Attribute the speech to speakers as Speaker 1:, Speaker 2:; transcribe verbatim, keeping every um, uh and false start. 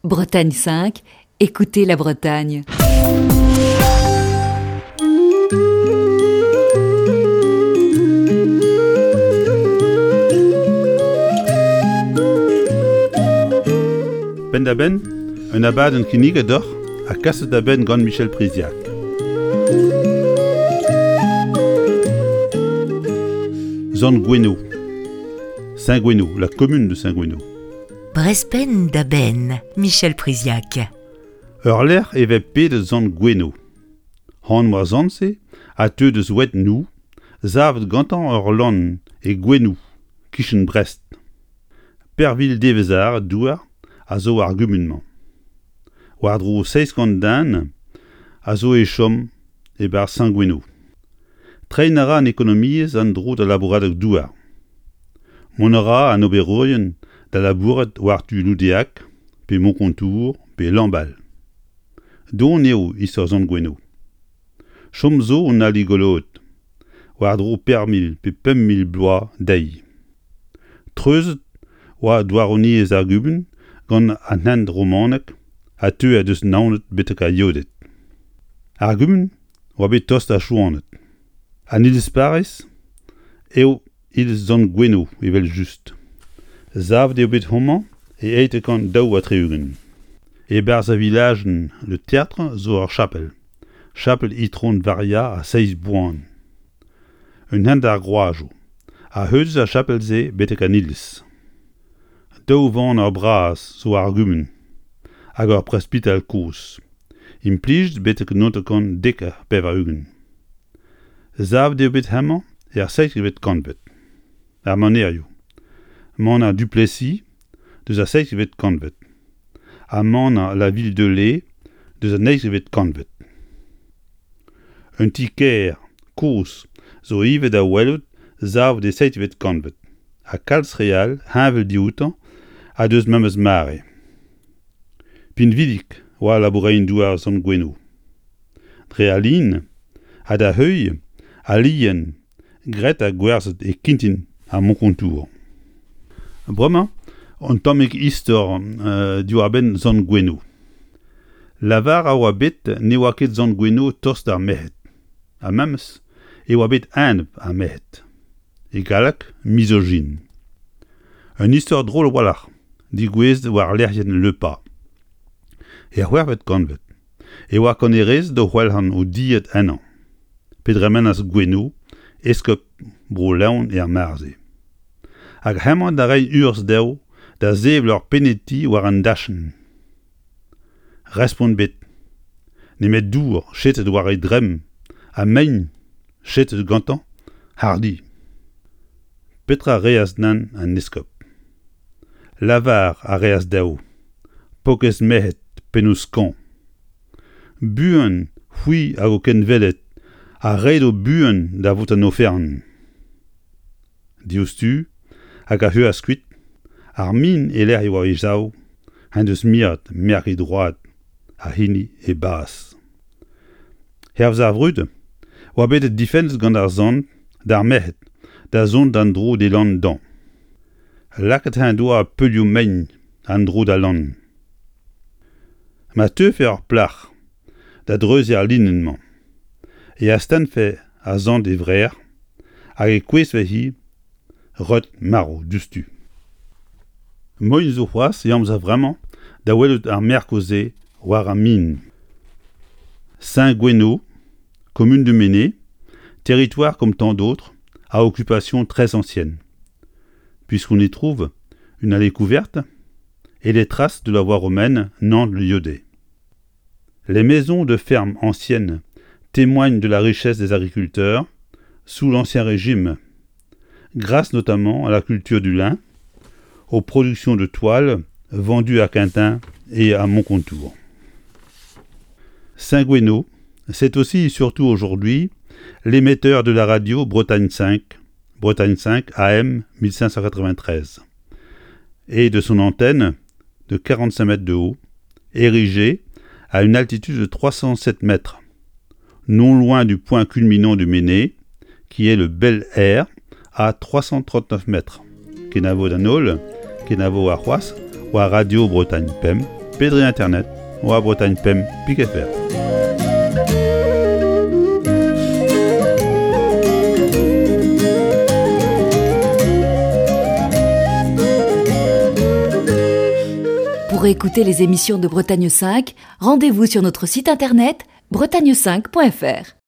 Speaker 1: Bretagne cinq, écoutez la Bretagne.
Speaker 2: Penn-da-benn, un abadenn kinniget deoc'h ha kaset da benn gant Michel Priziac. Sant-Goueno. Saint-Goueno, la commune de Saint-Goueno.
Speaker 3: Brezh penn da benn, Michel Priziac.
Speaker 2: Ur lec'h e vez pedet Sant-Goueno. Anv ar sant-se a teu deus Oued-Nou, savet gantañ ur lann e Gouenoù, kichen Brest. Pervil devezh douar a zo ar gumun-mañ. War-dro seizh kant den a zo e chom e-barzh Saint-Goueno. Treiñ a ra an ekonomiezh en-dro d'al labouradeg-douar. Mont a ra an oberourien da labourat war-du Loudéac, pe Moncontour, pe Lambal. Don eo istor Sant-Goueno. Chom zo un ali goloet, war-dro pevar mil pe pemp mil bloaz dezhi. Treuzet oa douaroniezh ar gumun gant an hent romanek a teue deus Naoned betek ar Yeoded. Ar gumun oa bet tost d'ar Chouaned. An iliz-parrez eo iliz Sant-Goueno evel-just. Savet eo bet homañ e eizh kant daou ha tri-ugent. E-barzh ar vilajenn Le Tertre zo ur chapel, chapel Itron Varia a Seizh Boan. Un hent ar groazoù a heulz ar chapel-se betek an iliz. Daou vaner bras zo ar gumun hag ur presbital kozh, implijet betek naontek kant dek ha pevar-ugent. Savet eo bet hemañ er seizhvet kantved. Ar manerioù. Maner Duplessis deus ar seizhvet kantved. Ha maner La Ville de Lay deus an eizhvet kantved. Un ti-kêr kozh zo ivez da welout savet e seizhvet kantved. Ha kalz re all heñvel dioutañ ha deus memes mare. Pinvidik oa labourein-douar Sant-Goueno. Dre al lin ha da heuilh al lien graet ha gwerzhet e Kintin ha Moncontour. Bremañ, un tammig istor euh, diwar-benn Sant-Goueno. Lavar a oa bet ne oa ket Sant-Goueno tost d'ar merc'hed. Ha memes e oa bet enep ar merc'hed. E galleg, misogyne. Un istor drol a-walc'h, digouezet war lec'hienn Le Pas. Er c'hwec'hvet kantved e oa kannerezed o c'hwelc'han o dilhad ennañ. Pe dremenas Goueno, eskob Bro-Leon er mare-se. Hag hemañ da reiñ urzh dezho da sevel ur peniti war an dachenn. Respont bet. Nemet dour chetet war e dremm ha mein chetet gantañ hardi. Petra reas nann an eskob? Lavar a reas dezho, paourkaezh merc'hed pennoù skañv. Buan c'hwi hag ho kenveled a redo buan da vout an oferenn. Diouzhtu hag a c'heuas kuit, ar min e-lec'h e oa e sav, en deus miret merk e droad ha hini e bazh. Hervez ar vrud, oa bet difennet gant ar sant d'ar merc'hed da zont d'an dro d'e lann-dan. Lakaet en doa peulioù mein an-dro d'al lann. Ma teufe ur plac'h da dreuziñ ar linenn-mañ, e astennfe ar sant e vrec'h hag e kouezhfe-hi reut marv diouzhtu. Moaien zo c'hoazh e amzer vremañ da welout ar merkoù-se war ar min. Saint-Goueno, commune du Méné, territoire comme tant d'autres, à occupation très ancienne, puisqu'on y trouve une allée couverte et les traces de la voie romaine Nantes-Liaudet. Les maisons de ferme anciennes témoignent de la richesse des agriculteurs sous l'Ancien Régime, grâce notamment à la culture du lin, aux productions de toiles vendues à Quintin et à Moncontour. Saint-Goueno, c'est aussi et surtout aujourd'hui l'émetteur de la radio Bretagne cinq, Bretagne cinq A M mille cinq cent quatre-vingt-treize, et de son antenne de quarante-cinq mètres de haut, érigée à une altitude de trois cent sept mètres, non loin du point culminant du Méné, qui est le Bel Air, à trois cent trente-neuf mètres. Kenavo d'an holl, kenavo ar c'hoazh, war Radio Bretagne Pemp, pe dre internet war Bretagne pemp pik F R.
Speaker 1: Pour écouter les émissions de Bretagne cinq, rendez-vous sur notre site internet bretagne cinq point F R.